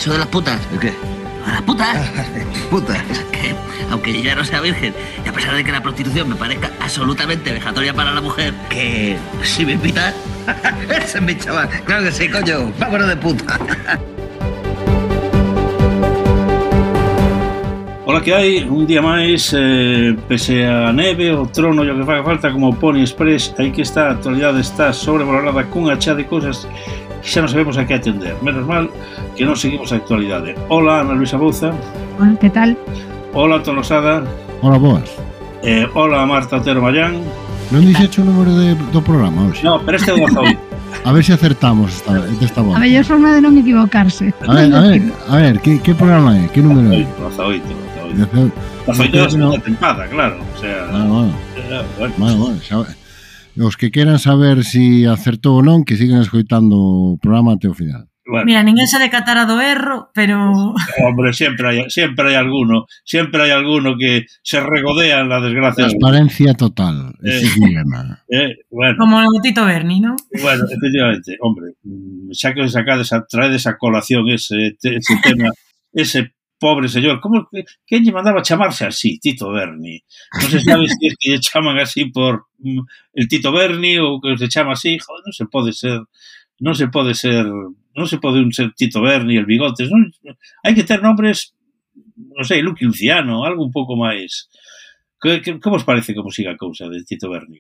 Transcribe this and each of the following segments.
Eso de las putas. ¿El qué? ¿A las putas? Putas. Que, aunque ya no sea virgen, y a pesar de que la prostitución me parezca absolutamente vejatoria para la mujer, que si me invitan... Ese es mi chaval. Claro que sí, coño. Vámonos de puta. Ola que hai, un día máis, pese a neve, o trono e o que faga falta como Pony Express, aí que está, a actualidade está sobrevalorada cunha chá de cousas que xa non sabemos a que atender. Menos mal que non seguimos a actualidade. Hola, Ana Luisa Bouza. Hola, que tal? Hola, Tolosada. Hola, boas. Hola, Marta Otero Mallán. Non dixecho o número do programa hoxe? No, pero este é o 18. A ver se acertamos esta volta. A mellor forma de non equivocarse. A ver, que programa é? Que número é? 18. 18 da segunda tempada, claro. O sea, bueno, os que queran saber si acertou ou non, que sigan escoitando o programa até o final. Bueno. Mira, ninguén se decatara do erro, pero... Hombre, sempre hai alguno que se regodea en la desgracia. Transparencia total, ese es mi lema. Bueno. Como o Tito Berni, ¿no? Bueno, efectivamente, hombre, xa que traedes a colación ese tema, ese pobre señor, como que lle mandaba chamarse así, Tito Berni? Non se sabe se es que lle chaman así por el Tito Berni ou que se chama así, joder, non se pode ser Tito Berni, el Bigotes, non? Hai que ter nombres, non sei, Lucky Luciano, algo un pouco máis. Como os parece como siga a cousa de Tito Berni?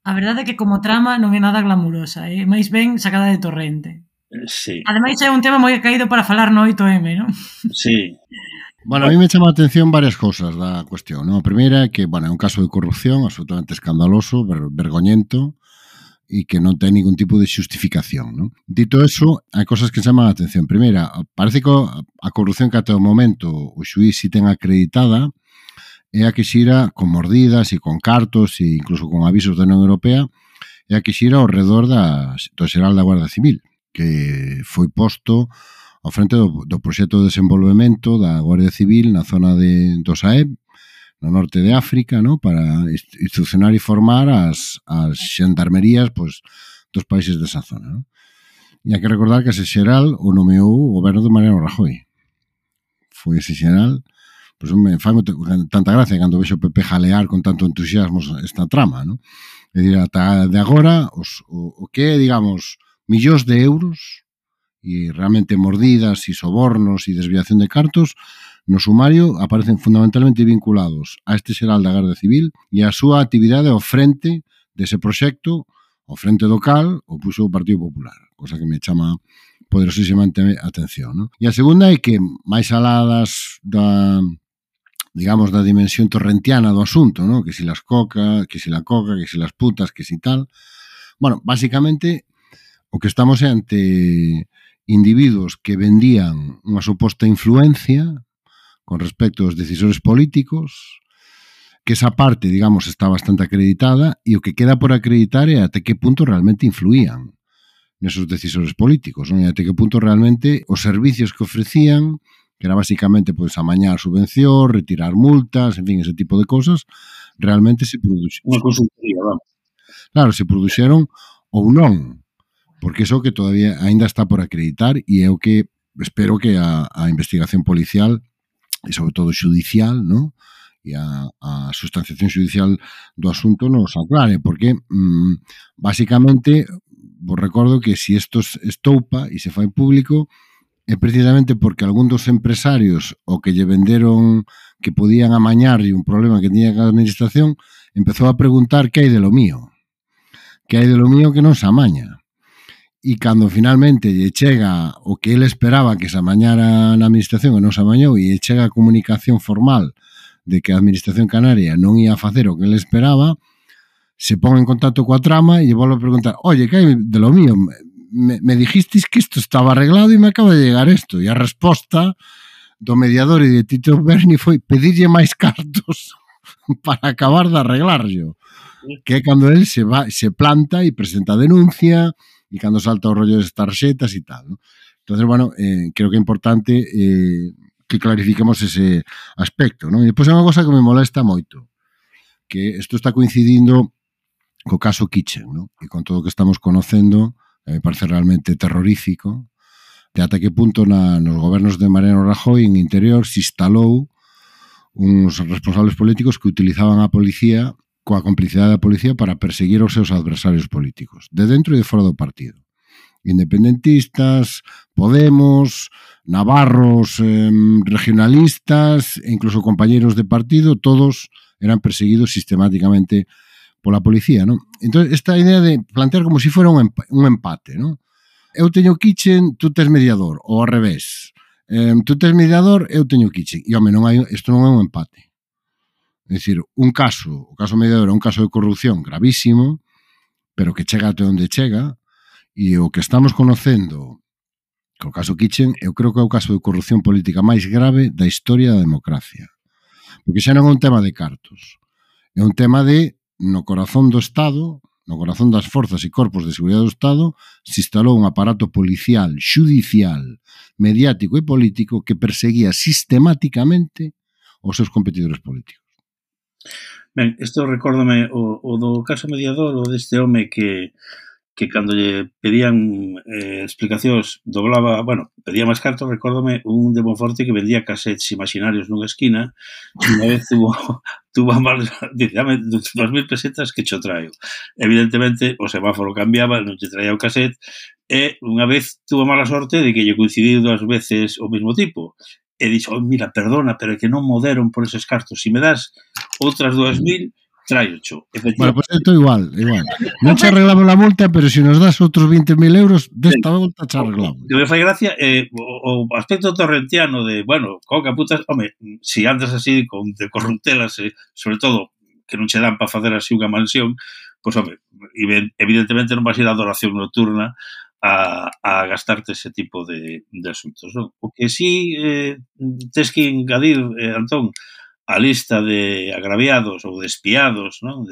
A verdade é que como trama non é nada glamurosa, máis ben sacada de torrente. Sí. Ademais é un tema moi caído para falar no 8M, non? Sí. Bueno, a mí me chama a atención varias cousas da cuestión, ¿no? A primeira é que, bueno, é un caso de corrupción absolutamente escandaloso, vergoñento, e que non ten ningún tipo de xustificación, ¿no? Dito eso, hai cosas que chaman a atención. Primeira, parece que a corrupción que até o momento o xuiz si ten acreditada é a que xira con mordidas e con cartos e incluso con avisos da Unión Europea, é a que xira ao redor do xeral da Guardia Civil, que foi posto ao frente do proxecto de desenvolvemento da Guardia Civil na zona do Sahel, no norte de África, ¿no? Para instruccionar e formar as xandarmerías dos países desa zona, ¿no? E hai que recordar que ese xeral o nomeou o goberno de Mariano Rajoy. Foi ese xeral, pois me fai tanta gracia cando vexo o PP jalear con tanto entusiasmo esta trama, ¿no? É dicir, ata de agora o que é, digamos, millóns de euros e realmente mordidas e sobornos e desviación de cartos no sumario aparecen fundamentalmente vinculados a este xeral da Garda Civil e a súa actividade ao frente dese proxecto, ao frente do cal, o puxo o Partido Popular, cosa que me chama poderosísimamente a atención, ¿no? E a segunda é que, máis aladas da dimensión torrentiana do asunto, ¿no? Que si la coca, que si las putas, que si tal. Bueno, básicamente, o que estamos é ante individuos que vendían unha suposta influencia con respecto aos decisores políticos, que esa parte, digamos, está bastante acreditada e o que queda por acreditar é até que punto realmente influían nesos decisores políticos, non? E até que punto realmente os servicios que ofrecían, que era basicamente pois amañar subvención, retirar multas, en fin, ese tipo de cosas, realmente se produxeron. Unha consultoría, vamos. Claro, se produxeron ou non, porque iso que todavía aínda está por acreditar e é o que espero que a investigación policial e sobre todo xudicial, ¿no? E a sustanciación xudicial do asunto nos aclare, porque basicamente vos recordo que si isto estoupa e se fai público é precisamente porque algún dos empresarios o que lle venderon que podían amañarlle un problema que tiña a administración empezou a preguntar que hai de lo mío, que non se amaña. E cando finalmente lle chega o que ele esperaba que se amañara na administración e non se amañou e lle chega a comunicación formal de que a administración canaria non ia facer o que ele esperaba, se pon en contacto coa trama e lle volve a preguntar: oye, que hai de lo mío? Me dijisteis que isto estaba arreglado e me acaba de llegar isto. E a resposta do mediador e de Tito Berni foi pedirlle máis cartos para acabar de arreglarlo. Que é cando ele se planta e presenta a denuncia e cando salta o rollo das tarxetas e tal, ¿no? Entonces, bueno, creo que é importante que clarifiquemos ese aspecto, ¿no? E depois é unha cosa que me molesta moito, que isto está coincidindo co caso Kitchen, ¿no? E con todo o que estamos conocendo, me parece realmente terrorífico de ata que punto nos gobernos de Mariano Rajoy en interior se instalou uns responsables políticos que utilizaban a policía coa complicidade da policía para perseguir os seus adversarios políticos, de dentro e de fora do partido. Independentistas, Podemos, navarros, regionalistas, e incluso compañeros de partido, todos eran perseguidos sistemáticamente pola policía, non? Entón, esta idea de plantear como se fora un empate, non? Eu teño kitchen, tú tes mediador, ou ao revés. Tú tes mediador, eu teño kitchen. E, home, isto non é un empate. É dicir, o caso mediador é un caso de corrupción gravísimo, pero que chega até onde chega, e o que estamos conocendo co caso Kitchen, eu creo que é o caso de corrupción política máis grave da historia da democracia. Porque xa non é un tema de cartos. É un tema de, no corazón do Estado, no corazón das forzas e corpos de seguridade do Estado, se instalou un aparato policial, xudicial, mediático e político que perseguía sistemáticamente os seus competidores políticos. Ben, isto recórdame o do caso mediador, o deste home que cando lle pedían explicacións doblaba, pedía máis cartos. Recórdame un de Monforte que vendía cassettes imaginarios nunha esquina e unha vez tuvo a mal, dice, dame 2.000 pesetas que cho traio. Evidentemente o semáforo cambiaba, non te traía o cassette, e unha vez tuvo mala sorte de que lle coincidiu 2 veces o mesmo tipo. E dixo, mira, perdona, pero é que non mo deron por eses cartos. Se me das outras 2.000, traiocho. Bueno, pues isto igual. Non che arreglamos a multa, pero se nos das outros 20.000 euros, desta volta che arreglamos. O que me fai gracia o aspecto torrentiano de, coca putas, home, se andas así de corruptelas, sobre todo que non che dan para facer así unha mansión, pois, home, evidentemente non vas ir a adoración nocturna a gastarte ese tipo de asuntos, non? O que sí tes que engadir, Antón, a lista de agraviados ou de espiados, non?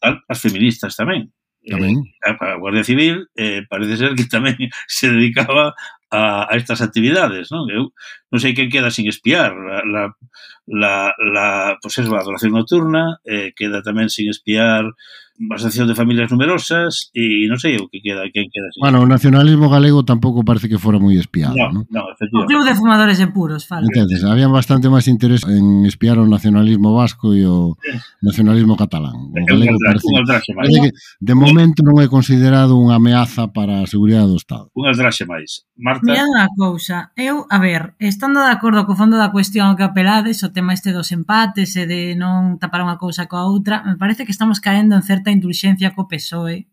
As feministas tamén. A Guardia Civil parece ser que tamén se dedicaba a estas actividades, non? Eu non sei quen queda sin espiar. Pois eso, a adoración nocturna, queda tamén sin espiar a Asociación de Familias Numerosas e non sei o que queda, quen queda sin. Bueno, o nacionalismo galego tampouco parece que fora moi espiado, non? No, O efectivamente. Club de Fumadores de Puros, fala. Entonces, había bastante máis interés en espiar o nacionalismo vasco e o nacionalismo catalán. O galego parece que de momento non é considerado unha ameaza para a seguridade do Estado. Un aldraxe máis. Marta? Mira unha cousa, eu, a ver, estando de acordo co fondo da cuestión ao que apelades, o tema este dos empates e de non tapar unha cousa coa outra, me parece que estamos caendo en certa indulxencia co PSOE.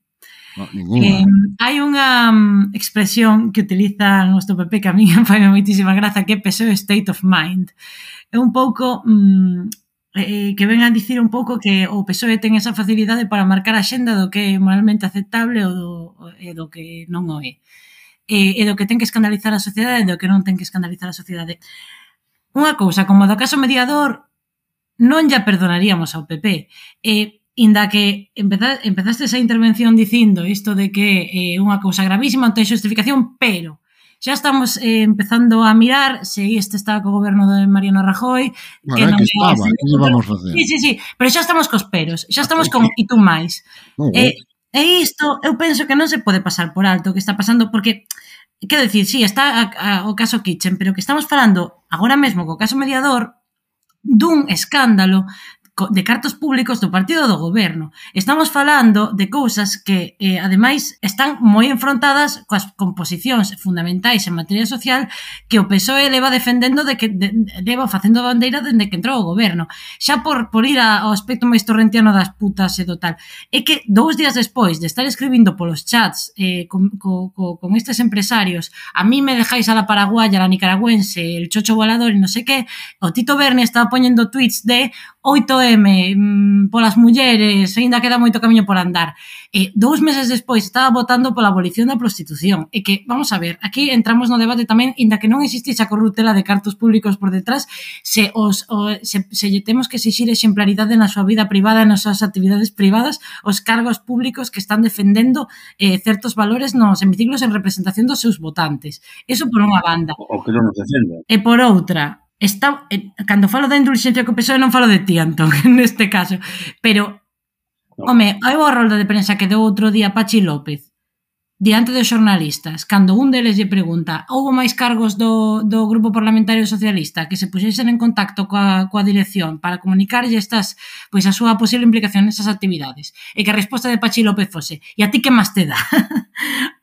Hai unha expresión que utiliza o noso PP que a mí me fai moitísima graza, que é PSOE State of Mind. É un pouco que ven a dicir un pouco que o PSOE ten esa facilidade para marcar a xenda do que é moralmente aceptable e do que non o é. E do que ten que escandalizar a sociedade e do que non ten que escandalizar a sociedade. Unha cousa, como do caso mediador, non lla perdonaríamos ao PP. Inda que empezaste esa intervención dicindo isto de que é unha cousa gravísima, non ten xustificación, pero xa estamos empezando a mirar se este está co goberno de Mariano Rajoy, que non estaba, que vamos a facer? Sí, pero xa estamos cos peros, xa estamos con e tú máis. E isto, eu penso que non se pode pasar por alto o que está pasando, porque, quero dicir, sí, está o caso Kitchen, pero que estamos falando agora mesmo co caso mediador dun escándalo de cartos públicos do partido do goberno. Estamos falando de cousas que, ademais, están moi enfrontadas coas composicións fundamentais en materia social que o PSOE leva defendendo leva facendo bandeira dende que entrou o goberno. Xa por ir ao aspecto máis torrentiano das putas e do tal. É que 2 días despois de estar escribindo polos chats con estes empresarios, a mí me dejáis a la paraguaya, a la nicaragüense, el chocho volador e non sei que, o Tito Berni estaba poñendo tweets de 8M polas mulleres, ainda queda moito camiño por andar. 2 meses despois estaba votando pola abolición da prostitución. E que, vamos a ver, aquí entramos no debate tamén, ainda que non existise a corruptela de cartos públicos por detrás, se lle temos que exixir exemplaridade na súa vida privada, nas súas actividades privadas, os cargos públicos que están defendendo certos valores nos hemiciclos en representación dos seus votantes. Eso por unha banda. O que non nos defende. E por outra, cando falo da indulxencia co PSOE non falo de ti, Antón, neste caso, pero home, hai unha rolda de prensa que deu outro día Pachi López diante dos xornalistas, cando un deles lle pregunta houbo máis cargos do Grupo Parlamentario Socialista que se puxesen en contacto coa dirección para comunicarlle estas, pois a súa posible implicación nesas actividades, e que a resposta de Pachi López fose e a ti que máis te dá?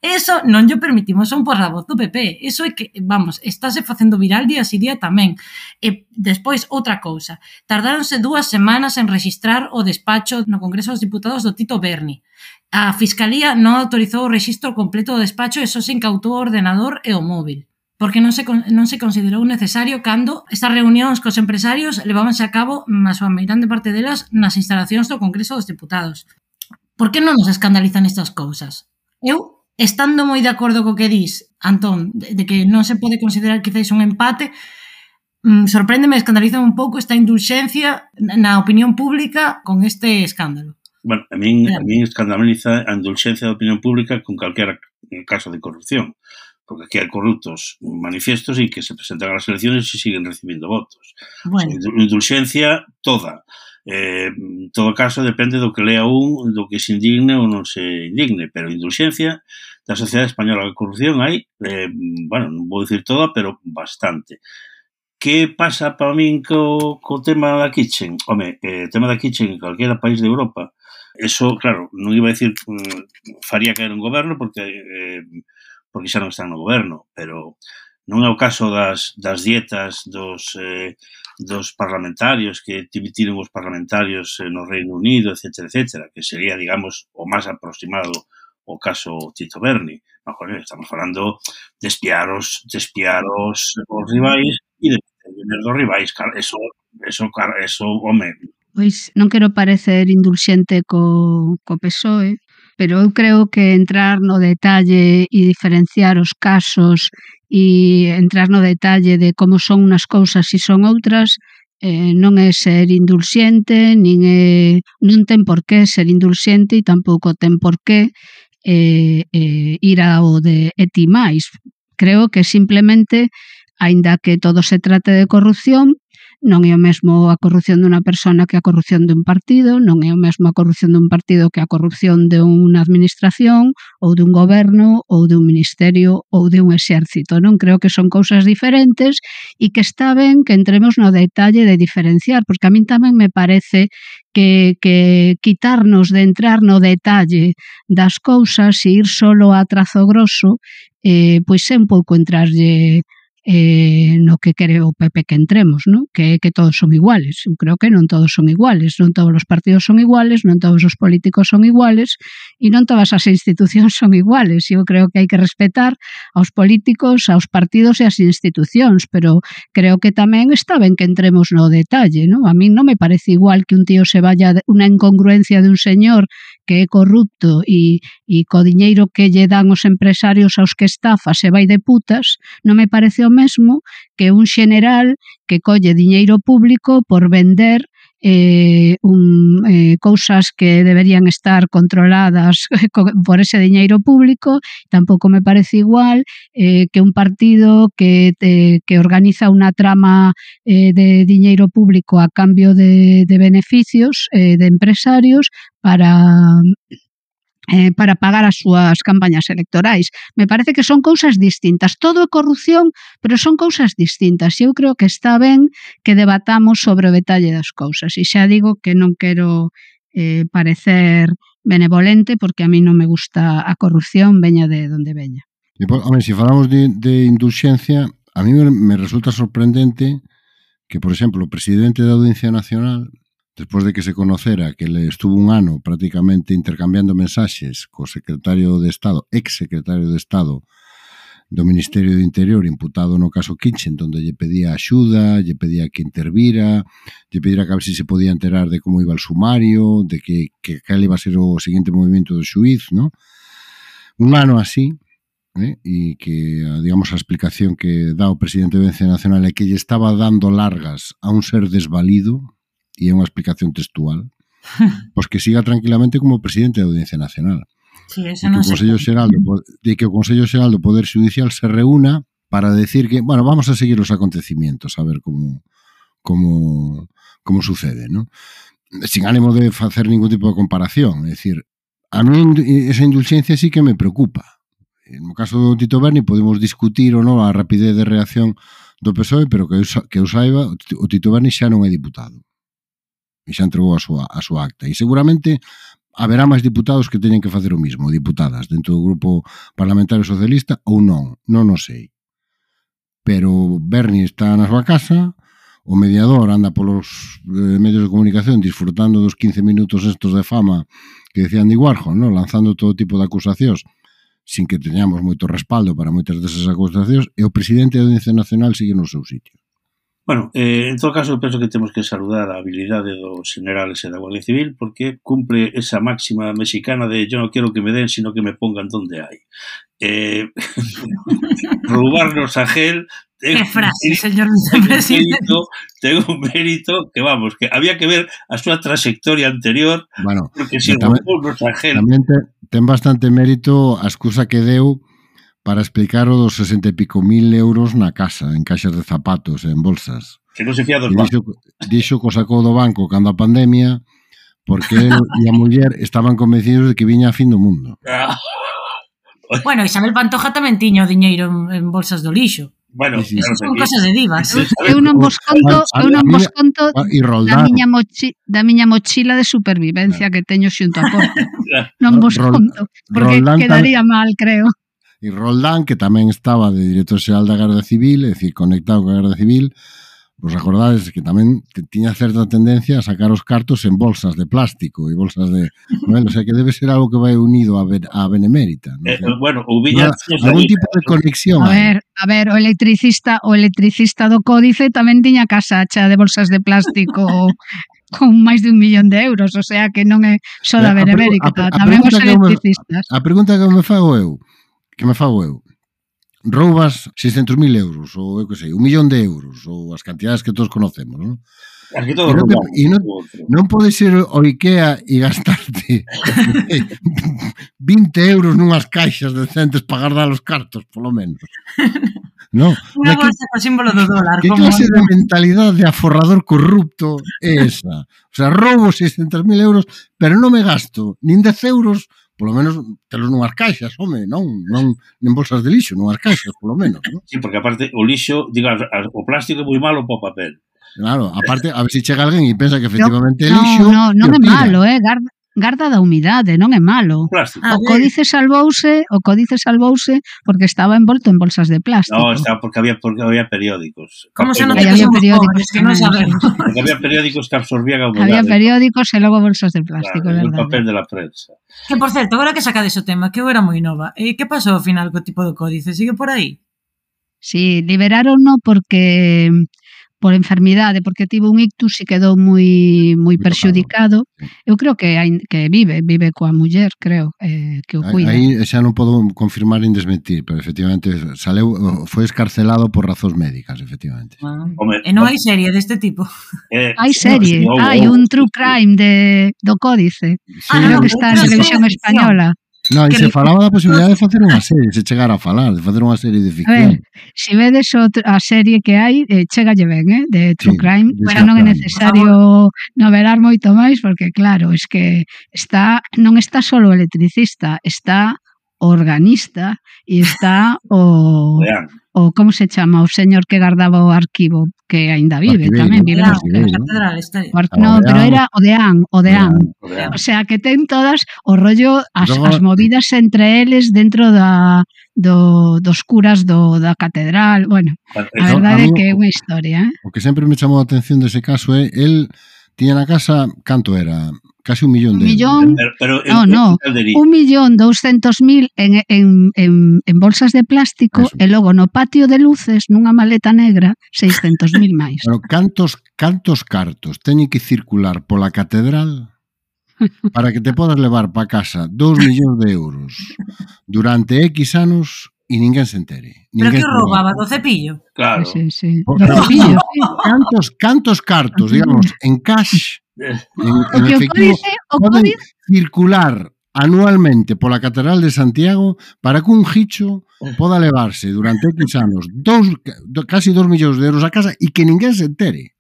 Eso non lle permitimos a un portavoz do PP. Eso é que, vamos, estáse facendo viral día si día tamén. E despois, outra cousa, tardáronse 2 semanas en registrar o despacho no Congreso dos Diputados do Tito Berni. A Fiscalía non autorizou o rexistro completo do despacho e só se incautou o ordenador e o móvil, porque non se considerou necesario cando estas reunións cos empresarios levábanse a cabo, a súa meirande parte delas, nas instalacións do Congreso dos Diputados. Por que non nos escandalizan estas cousas? Eu, estando moi de acordo co que dis, Antón, de que non se pode considerar quizáis un empate, sorpréndeme, escandaliza un pouco esta indulxencia na opinión pública con este escándalo. Bueno, a min escandaliza a indulxencia da opinión pública con calquera caso de corrupción, porque aquí hai corruptos manifiestos e que se presentan a las elecciones e siguen recibindo votos. Bueno. O sea, indulxencia toda. En todo caso, depende do que lea do que se indigne ou non se indigne, pero indulxencia da sociedade española de corrupción hai, bueno, non vou dicir toda, pero bastante. Que pasa para min co tema da Kitchen? Home, o tema da Kitchen en calquera país de Europa, eso, claro, non iba a dicir faría caer un goberno porque xa non están no goberno, pero non é o caso das dietas dos parlamentarios que tiven os parlamentarios no Reino Unido, etcétera, que sería, digamos, o máis aproximado o caso Tito Berni. No, joder, estamos falando de espiar os rivais e de tener dos rivais. Eso, home. Pois non quero parecer indulxente co PSOE, pero eu creo que entrar no detalle e diferenciar os casos e entrar no detalle de como son unas cousas e son outras non é ser indulxente, non ten por qué ser indulxente e tampouco ten por qué ir ao de ti máis. Creo que simplemente, aínda que todo se trate de corrupción, non é o mesmo a corrupción dunha persona que a corrupción dun partido, non é o mesmo a corrupción dun partido que a corrupción de unha administración ou dun goberno ou dun ministerio ou de un exército, non? Creo que son cousas diferentes e que está ben que entremos no detalle de diferenciar, porque a min tamén me parece que quitarnos de entrar no detalle das cousas e ir solo a trazo grosso, pois é un pouco entrarlle no que quere o PP que entremos, ¿no? Que todos son iguales. Eu creo que non todos son iguales, non todos os partidos son iguales, non todos os políticos son iguales e non todas as institucións son iguales. Eu creo que hai que respetar aos políticos, aos partidos e ás institucións, pero creo que tamén está ben que entremos no detalle, ¿no? A mí non me parece igual que un tío se vaya unha incongruencia de un señor que é corrupto e co diñeiro que lle dan os empresarios aos que estafa se vai de putas, non me parece o mesmo que un xeneral que colle diñeiro público por vender cousas que deberían estar controladas por ese diñeiro público. Tampouco me parece igual que un partido que organiza unha trama de diñeiro público a cambio de beneficios de empresarios para pagar as súas campañas electorais. Me parece que son cousas distintas. Todo é corrupción, pero son cousas distintas. E eu creo que está ben que debatamos sobre o detalle das cousas. E xa digo que non quero parecer benevolente, porque a mí non me gusta a corrupción, veña de donde veña. Home, se falamos de indulxencia, a mí me resulta sorprendente que, por exemplo, o presidente da Audiencia Nacional, despois de que se conocera que ele estuvo un ano prácticamente intercambiando mensaxes co secretario de Estado, ex-secretario de Estado do Ministerio do Interior, imputado no caso Kitchen, onde lle pedía axuda, lle pedía que intervira, lle pedira que a ver se podía enterar de como iba el sumario, de que cal iba a ser o seguinte movimento do xuiz, ¿no? Un ano así, e que, digamos, a explicación que dá o presidente da Audiencia Nacional é que lle estaba dando largas a un ser desvalido, e é unha explicación textual, pois que siga tranquilamente como presidente da Audiencia Nacional. Sí, eso non que o Consello Xeral do Poder Judicial se reúna para decir que, bueno, vamos a seguir os acontecimientos, a ver como sucede, ¿no? Sin ánimo de facer ningún tipo de comparación, é dicir, a mí esa indulxencia sí que me preocupa, no caso do Tito Berni podemos discutir ou non a rapidez de reacción do PSOE, pero que eu saiba, o Tito Berni xa non é diputado. E xa entregou a súa acta. E seguramente haberá máis diputados que teñen que facer o mismo, diputadas, dentro do grupo parlamentario socialista ou non o sei. Pero Berni está na súa casa, o mediador anda polos medios de comunicación disfrutando dos 15 minutos estos de fama que decía Andy Warhol, ¿no? Lanzando todo tipo de acusacións sin que teñamos moito respaldo para moitas desas acusacións, e o presidente da Audiencia Nacional sigue no seu sitio. Bueno, en todo caso, penso que temos que saludar a habilidade dos generales e da Guardia Civil porque cumple esa máxima mexicana de yo no quiero que me den, sino que me pongan donde hay. Roubarnos a gel... Qué frase, señor vicepresidente. Ten un mérito que, vamos, que había que ver a súa trayectoria anterior, bueno, porque se roubarnos a gel... Tamén ten bastante mérito a excusa que deu para explicar o dos 60 e pico mil euros na casa, en caixas de zapatos, en bolsas. Que non se fía dos bancos. Dixo que o sacou do banco cando a pandemia, porque él e a muller estaban convencidos de que viña a fin do mundo. Bueno, Isabel Pantoja tamén tiña o diñeiro en bolsas do lixo. Bueno, esas son cosas de divas. Eu non vos conto da miña mochila de supervivencia que teño xunto a porta. Non vos conto, porque quedaría mal, creo. E Roldán, que tamén estaba de director xeral da Garda Civil, é dicir, conectado coa Garda Civil, vos acordades que tamén tiña certa tendencia a sacar os cartos en bolsas de plástico e bolsas de... Bueno, o sea, que debe ser algo que vai unido a Benemérita. ¿No? Bueno, hubiera... Algún tipo de conexión. A ver, o electricista do Códice tamén tiña casa chea de bolsas de plástico con máis de 1 millón de euros, o sea, que non é só da Benemérita, tamén os electricistas. A pregunta que me fago eu, roubas 600.000 euros, ou eu que sei, 1 millón de euros, ou as cantidades que todos conocemos, non? Non pode ser o IKEA e gastarte 20 euros nunhas caixas decentes para guardar os cartos, polo menos. No. Unha bolsa co símbolo do dólar. Que clase de mentalidade de aforrador corrupto é esa? O sea, roubo 600.000 euros, pero non me gasto nin 10 euros, polo menos telos nunhas caixas, home, non en bolsas de lixo, nunhas caixas, polo menos, non? Sí, porque aparte o lixo, diga, o plástico é moi malo para o papel. Claro, aparte, a ver se chega alguén e pensa que efectivamente é lixo. Non é malo, garda da humidade, non é malo. O Códice salvouse porque estaba envolto en bolsas de plástico. No, estaba porque había periódicos. Como se non había periódicos que non sabemos. Porque había periódicos que absorbían a humedade. Había periódicos e logo bolsas de plástico, claro, verdade. O papel de la prensa. Que, por certo, agora que sacades o tema, que eu era moi nova, que pasou ao final co tipo do Códice? Sigue por aí? Sí, liberaronno porque por enfermidade, porque tivo un ictus e quedou moi perxudicado. Eu creo que vive coa muller, creo, que o cuida. Aí xa non podo confirmar nin desmentir, pero efectivamente foi escarcelado por razóns médicas, efectivamente. E non hai serie deste tipo? Hai serie, hai un true crime do Códice. Creo que está en Televisión Española. Non, e se falaba da posibilidade de facer unha serie, se chegara a falar, de facer unha serie de ficción. A ver, se vedes a serie que hai, chegalle ben, de True Crime, pero non é necesario novelar moito máis, porque claro, es que non está solo o electricista, está o organista e está o como se chama, o señor que guardaba o arquivo, que aínda vive, tamén vive na catedral. No, pero era o Deán. O sea, que ten todas o rollo, as movidas entre eles dentro dos curas da catedral. Bueno, a verdade é que é unha historia. O que sempre me chamou a atención dese caso é, el tiña na casa, canto era? Casi 1 millón de euros. 1.200.000 en bolsas de plástico. Eso. E logo no patio de luces, nunha maleta negra, 600.000 máis. Pero cantos cartos teñen que circular pola catedral para que te podas levar para casa 2 millóns de euros durante X anos e ninguén se entere? Pero que roubaba do cepillo? Claro. Sí. Do cepillo, sí. Cantos cartos, digamos, en cash, en efectivo, poden circular anualmente pola Catedral de Santiago para que un gicho poda levarse durante X anos casi 2 millóns de euros a casa e que ninguén se entere.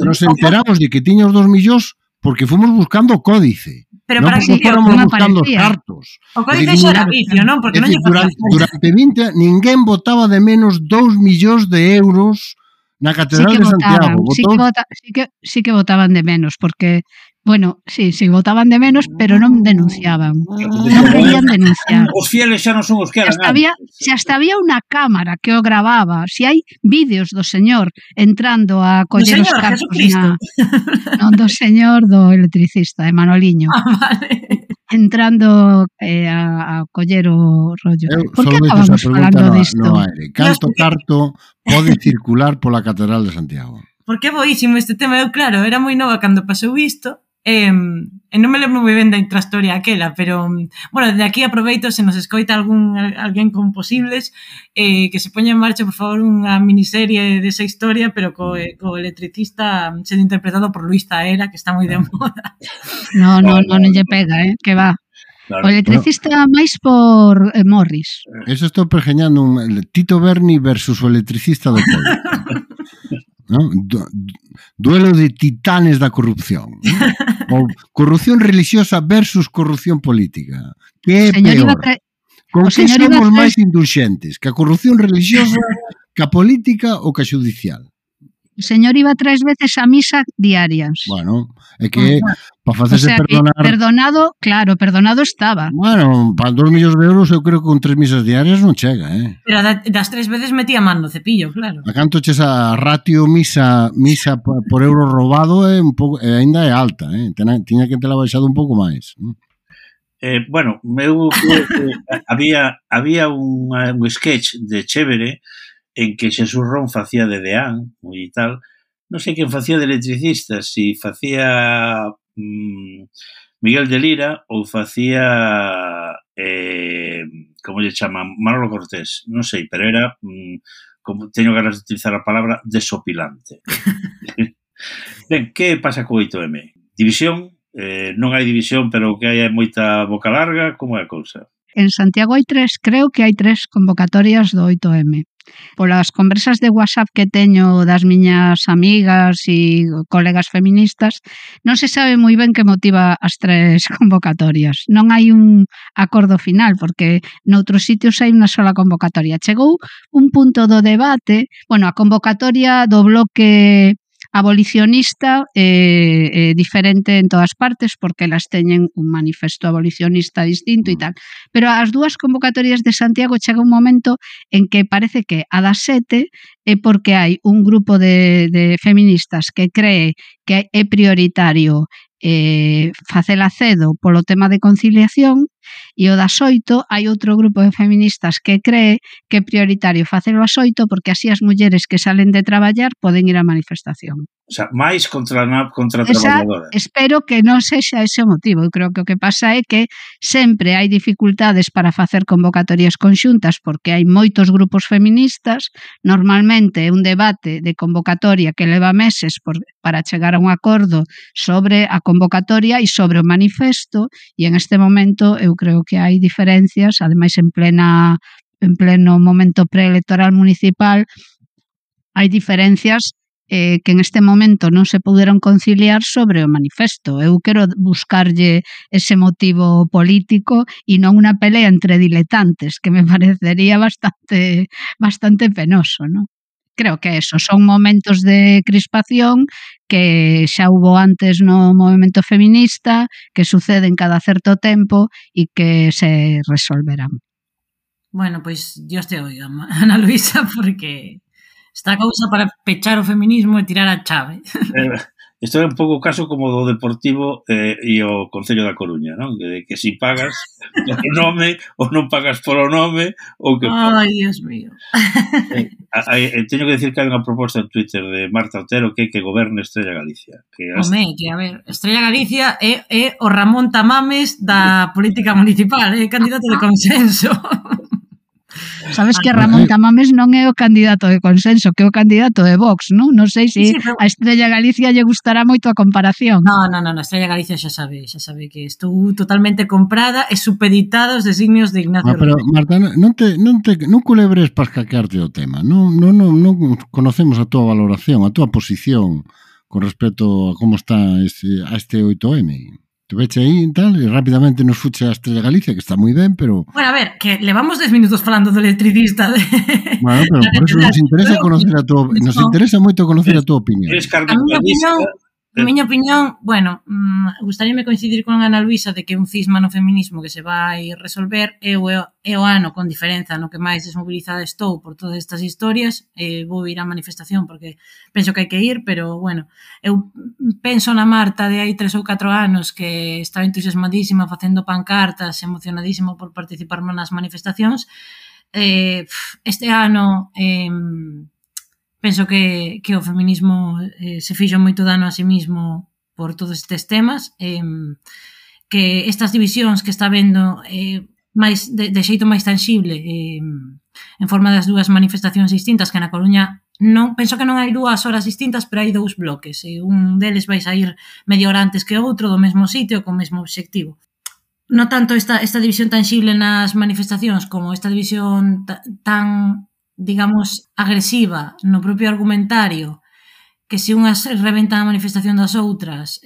Nos enteramos de que tiña os 2 millóns porque fomos buscando o Códice. Pero non para porque que fóramos non buscando os aparecía. cartos. o que dice xa era vicio, non? Porque É non dicir, lle facía durante 20 ninguén votaba de menos 2 millóns de euros na Sí Catedral que de Santiago. votaban, sí que votaban de menos, porque, bueno, sí, votaban de menos, pero non denunciaban. Non querían denunciar. Os fieles xa non son os que eran Se hasta había unha cámara que o grababa, se hai vídeos do señor entrando a coller os Señor cartos Jesucristo. non do señor do electricista, de Manoliño, Vale. entrando a coller o rollo. Eu Por só que deixo esa acabamos pregunta falando no disto? aire. Canto carto pode circular pola Catedral de Santiago? Porque é boísimo este tema. Eu, claro, era moi nova cando pasou isto, e non me lembro moi ben da intrastoria aquela, pero, bueno, de aquí aproveito se nos escoita alguén con posibles, que se poña en marcha, por favor, unha miniserie desa historia, pero co electricista sendo interpretado por Luis Zaera, que está moi de moda. Non lle pega, que va. Claro. O electricista máis por Morris. Eso estou pergeñando un Tito Berni versus o electricista do povo. ¿No? Duelo de titanes da corrupción, ¿no? O corrupción religiosa versus corrupción política. Que é peor? Con que somos máis indulxentes? Que a corrupción religiosa, que a política ou que a judicial? O señor iba 3 veces a misa diarias. Bueno, é que para facerse perdonar... Perdonado estaba. Bueno, para 2 millóns de euros eu creo que con 3 misas diarias non chega, Pero das 3 veces metía man no cepillo, claro. A canto che esa ratio misa por euro robado é un pouco, ainda é alta, tiña que tela baixado un pouco máis. Bueno, eu creo que había un sketch de Chévere en que Xesús Ron facía de deán e tal, non sei quen facía de electricista, si facía Miguel de Lira ou facía como lle chaman, Manolo Cortés, non sei, pero era como teño ganas de utilizar a palabra desopilante. Ben, que pasa co 8M? División? Non hai división, pero que hai moita boca larga, como é a cousa? En Santiago creo que hai 3 convocatorias do 8M. Polas conversas de WhatsApp que teño das miñas amigas e colegas feministas, non se sabe moi ben que motiva as 3 convocatorias. Non hai un acordo final, porque noutros sitios hai unha sola convocatoria. Chegou un punto do debate, a convocatoria do bloque abolicionista diferente en todas partes porque elas teñen un manifesto abolicionista distinto e tal, pero as 2 convocatorias de Santiago chega un momento en que parece que a das 7 é porque hai un grupo de feministas que cree que é prioritario facela cedo polo tema de conciliación e o das 8 hai outro grupo de feministas que cree que é prioritario facelo ás 8 porque así as mulleres que salen de traballar poden ir á manifestación. O sea, máis contra a traballadora. Espero que non sexa ese o motivo. Eu creo que o que pasa é que sempre hai dificultades para facer convocatorias conxuntas porque hai moitos grupos feministas. Normalmente é un debate de convocatoria que leva meses para chegar a un acordo sobre a convocatoria e sobre o manifesto e en este momento eu creo que hai diferencias, ademais en pleno momento preelectoral municipal hai diferencias que en este momento non se puderon conciliar sobre o manifesto. Eu quero buscarlle ese motivo político e non unha pelea entre diletantes, que me parecería bastante penoso, non? Creo que eso son momentos de crispación que xa hubo antes no movemento feminista, que suceden cada certo tempo e que se resolverán. Bueno, pois Dios te oiga, Ana Luisa, porque está a cousa para pechar o feminismo e tirar a chave. Isto é un pouco o caso como do Deportivo e o Concello da Coruña, non? Que si pagas polo nome ou non pagas polo nome ou que... Ai, Dios mío. Teño que decir que hai unha proposta en Twitter de Marta Otero que goberne Estrella Galicia. Home, que a ver, Estrella Galicia é o Ramón Tamames da política municipal, é candidato de consenso. Sabes que Ramón Tamames non é o candidato de consenso, que é o candidato de Vox, non? Non sei se a Estrella Galicia lle gustará moito a comparación. Non, Estrella Galicia xa sabe que estou totalmente comprada e supeditada aos designios de Ignacio Pero, Marta, non culebres para escaquearte o tema. Non conocemos a túa valoración, a túa posición con respecto a como está a este 8M. Tu veche aí e tal, e rápidamente nos fuche a Estrella Galicia, que está moi ben, pero... Bueno, a ver, que levamos 10 minutos falando do electricista. Bueno, pero por eso nos interesa conocer a tua... Nos interesa moito conocer a tua opinión. A miña opinión, bueno, gustaríame coincidir con Ana Luisa de que un cisma no feminismo que se vai resolver é o ano con diferenza no que máis desmobilizada estou por todas estas historias. Vou ir á manifestación porque penso que hai que ir, pero, bueno, eu penso na Marta de hai 3 ou 4 anos que estaba entusiasmadísima facendo pancartas, emocionadísima por participar nas manifestacións. Este ano... penso que o feminismo se fixo moito dano a sí mismo por todos estes temas, que estas divisións que está vendo máis de xeito máis tangible en forma das dúas manifestacións distintas, que na Coruña non penso que non hai 2 horas distintas, pero hai 2 bloques, e un deles vai sair media hora antes que outro do mesmo sitio co mesmo obxectivo. Non tanto esta división tangible nas manifestacións como esta división tan digamos, agresiva no propio argumentario, que se unhas reventan a manifestación das outras,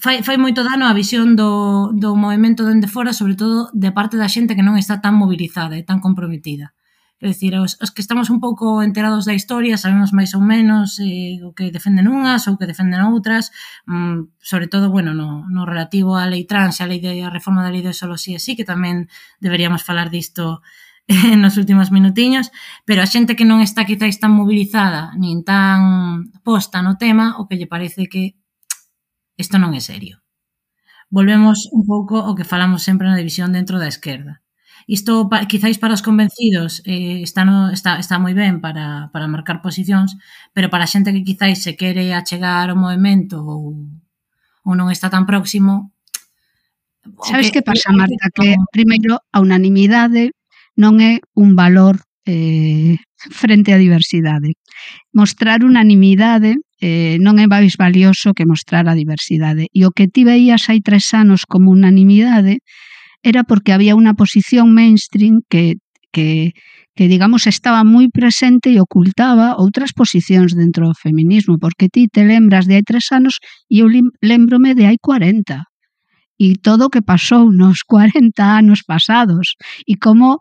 fai moito dano a visión do movimento dende fora, sobre todo de parte da xente que non está tan mobilizada e tan comprometida. É dicir, os que estamos un pouco enterados da historia sabemos máis ou menos o que defenden unhas ou que defenden outras, sobre todo, bueno, no relativo á lei trans e a reforma da lei de solo sí e sí, que tamén deberíamos falar disto nos últimos minutiños, pero a xente que non está quizáis tan mobilizada nin tan posta no tema, o que lle parece que isto non é serio. Volvemos un pouco ao que falamos sempre na división dentro da esquerda. Isto, quizáis para os convencidos, está moi ben para marcar posicións, pero para a xente que quizáis se quere achegar ao movimento ou non está tan próximo... Sabes que pasa, Marta? Que, primeiro, a unanimidade non é un valor frente á diversidade. Mostrar unanimidade non é máis valioso que mostrar a diversidade. E o que ti veías hai 3 anos como unanimidade era porque había unha posición mainstream que digamos, estaba moi presente e ocultaba outras posicións dentro do feminismo, porque ti te lembras de hai 3 anos e eu lembrome de hai 40. E todo o que pasou nos 40 anos pasados e como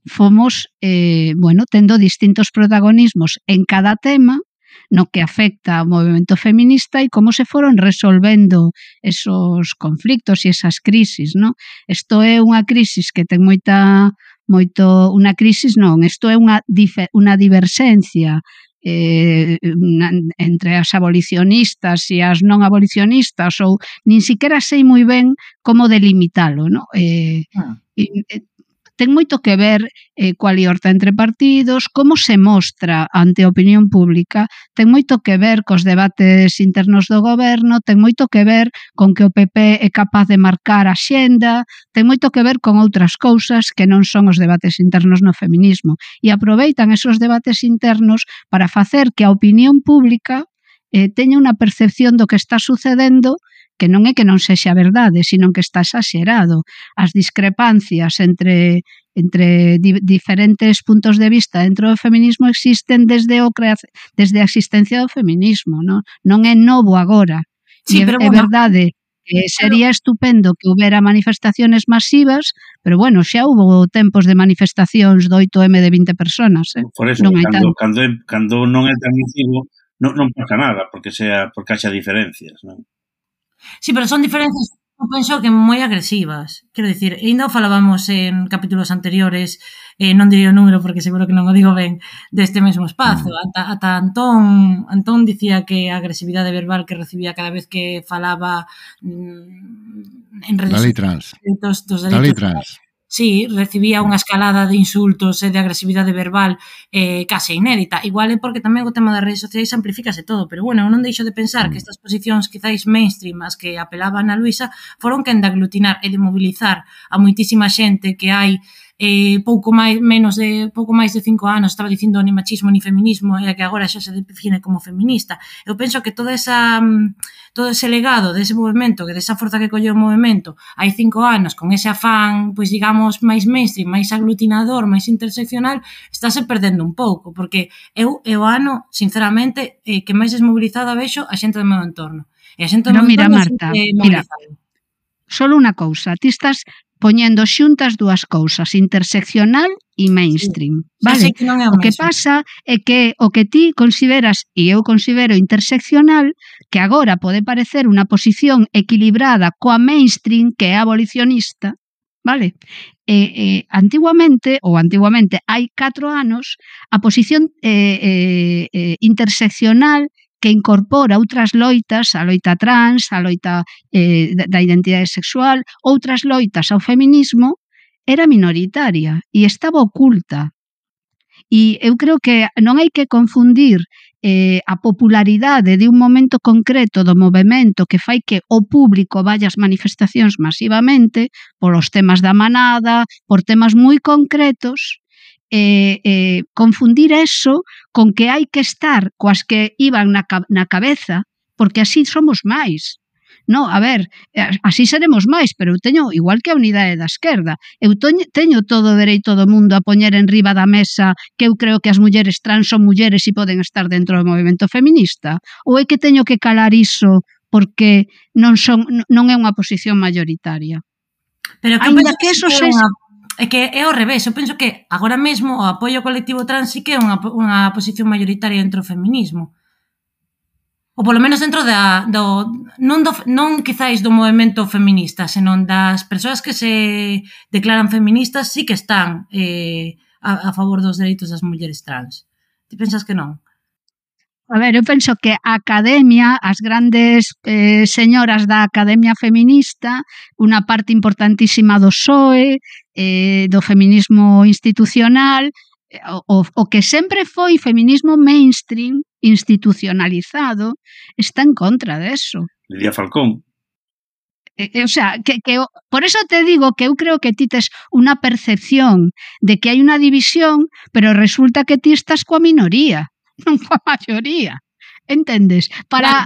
fomos, tendo distintos protagonismos en cada tema no que afecta ao movimento feminista e como se foron resolvendo esos conflictos e esas crisis, non? Isto é unha crisis que ten unha crisis non, isto é unha diverxencia entre as abolicionistas e as non abolicionistas, ou nin siquiera sei moi ben como delimitalo, non? Ten moito que ver coa liorta entre partidos, como se mostra ante a opinión pública, ten moito que ver cos debates internos do goberno, ten moito que ver con que o PP é capaz de marcar a xenda, ten moito que ver con outras cousas que non son os debates internos no feminismo. E aproveitan esos debates internos para facer que a opinión pública teña unha percepción do que está sucedendo que non é que non sexa verdade, sino que está exagerado. As discrepancias entre diferentes puntos de vista dentro do feminismo existen desde a existencia do feminismo, non é novo agora. Sí, é verdade que sería estupendo que houbera manifestaciones masivas, pero bueno, xa houbo tempos de manifestacións do 8M de 20 personas. Por eso, cando non é tan masivo, non pasa nada, porque haxa diferencias, non? Sí, pero son diferencias, eu penso que moi agresivas. Quero dicir, ainda o falábamos en capítulos anteriores, non diría o número porque seguro que non o digo ben, deste mesmo espazo. Ata Antón dicía que a agresividade verbal que recibía cada vez que falaba en redes sociais dos delitos trans. Sí, recibía unha escalada de insultos e de agresividade verbal case inédita. Igual é porque tamén o tema das redes sociais amplifícase todo, pero bueno, non deixo de pensar que estas posicións quizáis mainstream as que apelaban a Luisa foron quen de aglutinar e de mobilizar a moitísima xente que hai pouco máis de 5 anos estaba dicindo ni machismo ni feminismo e que agora xa se define como feminista. Eu penso que todo ese legado dese movimento, que desa forza que colleu o movimento hai 5 anos, con ese afán, pois digamos, máis mainstream, máis aglutinador, máis interseccional, estáse perdendo un pouco, porque eu o ano, sinceramente, que máis desmobilizada vexo a xente do meu entorno. E a xente No, mira, montón Marta, sempre mira, mobilizada. solo unha cousa, ti estás poñendo xuntas dúas cousas, interseccional e mainstream, Xa sei vale? que non é o O que mesmo. pasa é que o que ti consideras, e eu considero interseccional, que agora pode parecer unha posición equilibrada coa mainstream, que é abolicionista, vale? Antiguamente, hai 4 anos, a posición interseccional que incorpora outras loitas, a loita trans, a loita da identidade sexual, outras loitas ao feminismo, era minoritaria e estaba oculta. E eu creo que non hai que confundir a popularidade de un momento concreto do movemento que fai que o público vaya ás manifestacións masivamente polos temas da manada, por temas moi concretos, confundir eso con que hai que estar coas que iban na cabeza, porque así somos máis. No, a ver, así seremos máis, pero eu teño, igual que a unidade da esquerda, eu teño todo o dereito do mundo a poñer en riba da mesa que eu creo que as mulleres trans son mulleres e poden estar dentro do movimento feminista? Ou é que teño que calar iso porque non é unha posición mayoritaria? Pero que Ainda penso que que eso é sexa... É que é ao revés, eu penso que agora mesmo o apoio ao colectivo trans sí que é unha posición mayoritaria dentro do feminismo. Ou polo menos dentro non quizáis do movemento feminista, senón das persoas que se declaran feministas sí que están a favor dos dereitos das mulleres trans. Ti pensas que non? A ver, eu penso que a academia, as grandes señoras da academia feminista, unha parte importantísima do PSOE, do feminismo institucional, o que sempre foi feminismo mainstream, institucionalizado, está en contra deso. Lidia Falcón. O sea, por eso te digo que eu creo que ti tes unha percepción de que hai unha división, pero resulta que ti estás coa minoría, non coa maioría. Entendes? Para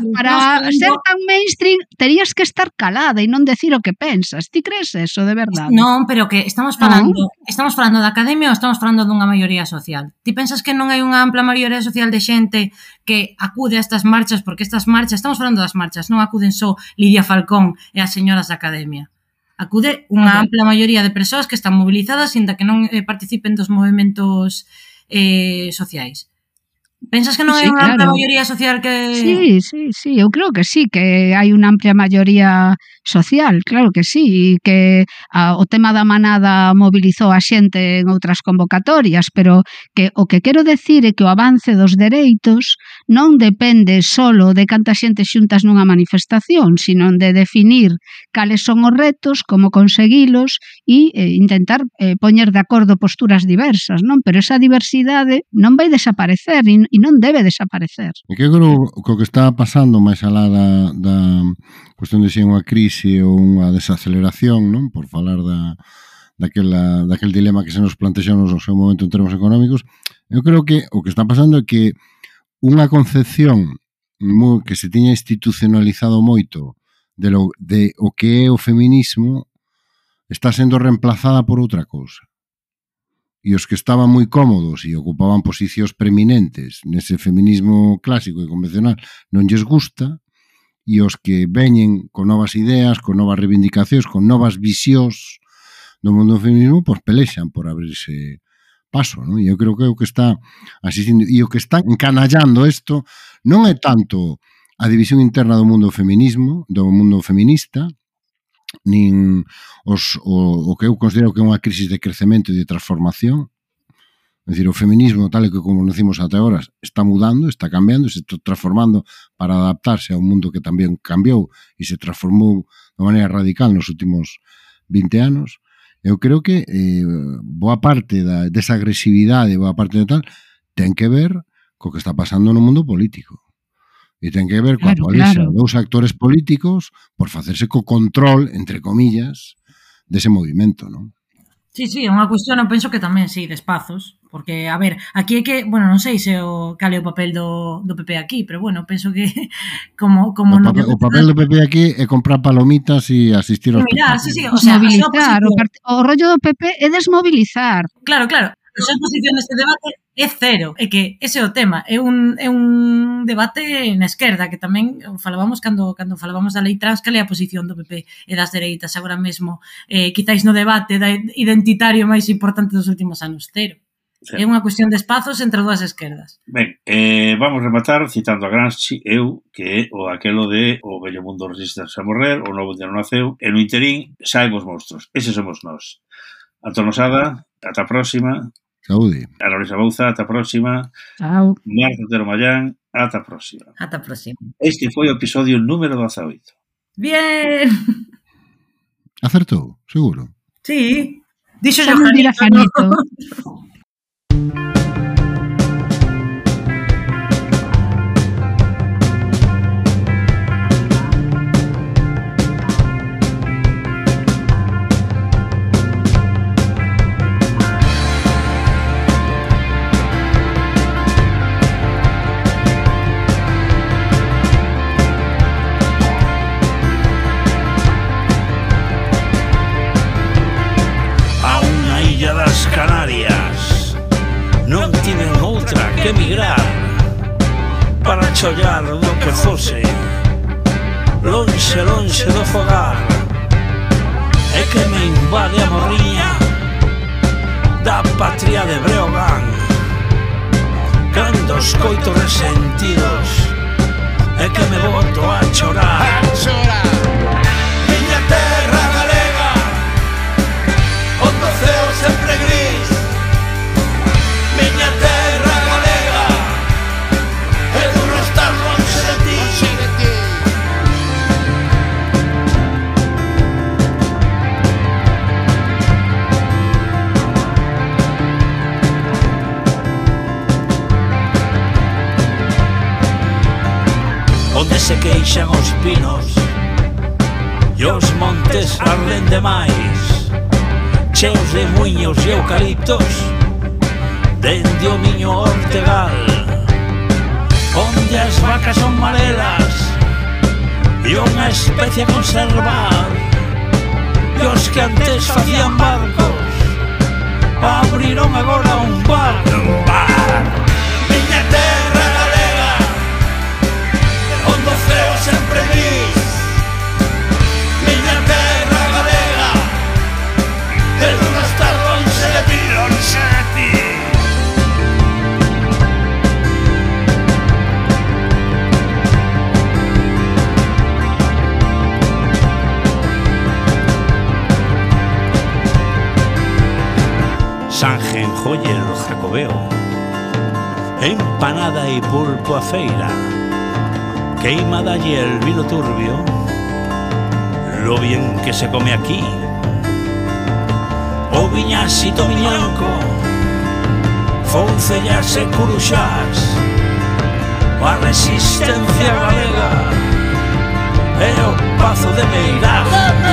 ser tan mainstream terías que estar calada e non decir o que pensas. Ti crees eso, de verdade? Non, pero que estamos falando da academia ou estamos falando dunha maioría social? Ti pensas que non hai unha ampla maioría social de xente que acude a estas marchas, porque estas marchas, estamos falando das marchas, non acuden só Lidia Falcón e as señoras da academia. Acude unha ampla maioría de persoas que están movilizadas inda que non participen dos movementos sociais. Pensas que non hai unha ampla maioría social que... Sí, eu creo que sí, que hai unha amplia maioría social, claro que sí, e que o tema da manada mobilizou a xente en outras convocatorias, pero que o que quero decir é que o avance dos dereitos non depende solo de canta xente xuntas nunha manifestación, sino de definir cales son os retos, como conseguilos e intentar poñer de acordo posturas diversas, non? Pero esa diversidade non vai desaparecer e non debe desaparecer. E que creo que o que está pasando máis alá da cuestión de se unha crise ou unha desaceleración, non? Por falar daquel dilema que se nos plantexou no seu momento en termos económicos, eu creo que o que está pasando é que unha concepción que se tiña institucionalizado moito de o que é o feminismo está sendo reemplazada por outra cousa. E os que estaban moi cómodos e ocupaban posicións preeminentes nese feminismo clásico e convencional non lles gusta, e os que veñen con novas ideas, con novas reivindicacións, con novas visións do mundo do feminismo, pois pelexan por abrirse paso, non? E eu creo que é o que está asistindo, e o que está encanallando isto non é tanto a división interna do mundo feminismo, do mundo feminista, nin o que eu considero que é unha crisis de crecemento e de transformación. É dicir, o feminismo, tal e que conocimos até agora, está mudando, está cambiando, se está transformando para adaptarse a un mundo que tamén cambiou e se transformou de maneira radical nos últimos 20 anos. Eu creo que boa parte desa agresividade, boa parte de tal, ten que ver co que está pasando no mundo político. E ten que ver coa polixa dos actores políticos por facerse co control, entre comillas, dese movimento, non? Sí, é unha cuestión, eu penso que tamén, sí, de espazos, porque, a ver, aquí é que, bueno, non sei se cal é o papel do PP aquí, pero, bueno, penso que como o papel do PP aquí é comprar palomitas e asistir aos partidos. Sí, o sea, mobilizar, o rollo do PP é desmobilizar. Claro, a súa posición neste debate é cero. É que ese é o tema. É un debate na esquerda, que tamén falábamos cando falábamos da lei trans, que é a posición do PP e das dereitas agora mesmo, quizáis no debate identitario máis importante dos últimos anos, cero. Sí. É unha cuestión de espazos entre dúas esquerdas. Ben, vamos rematar citando a Gramsci, que é aquelo de o vello mundo resiste a morrer, o novo día non naceu, e no interín saen os monstruos. Ese somos nós. Antón Losada, ata a próxima. Saúde. Ana Luisa Bouza, ata a próxima. Chao. Marta Otero Mallán, ata a próxima. Ata a próxima. Este foi o episodio número 18. Bien. Acertou, seguro. Sí. Dixo Xa non dirá Janito. Canarias non tiven outra que emigrar para chollar do que fose lonxe, lonxe do fogar, e que me invade a morriña da patria de Breogán cando escoito resentidos e que me boto a chorar. Miña terra galega onde o ceo sempre gris, miña terra galega é duro estar lonxe de ti. Onde se queixan os pinos e os montes arden demais, cheos de muiños e eucaliptos dende o miño Ortegal, onde as vacas son marelas e unha especie a conservar, e os que antes facían barcos abriron agora un bar. Miña terra galega onde o ceo sempre gris, miña terra galega é duro estar lonxe de ti, lonxe de ti. Sanjenjoyer Jacobeo, empanada e pulpo a feira, queimada y el vino turbio, lo bien que se come aquí. O viñasito miñanco, foncellas e curuxás, a resistencia galega e o pazo de Meirás.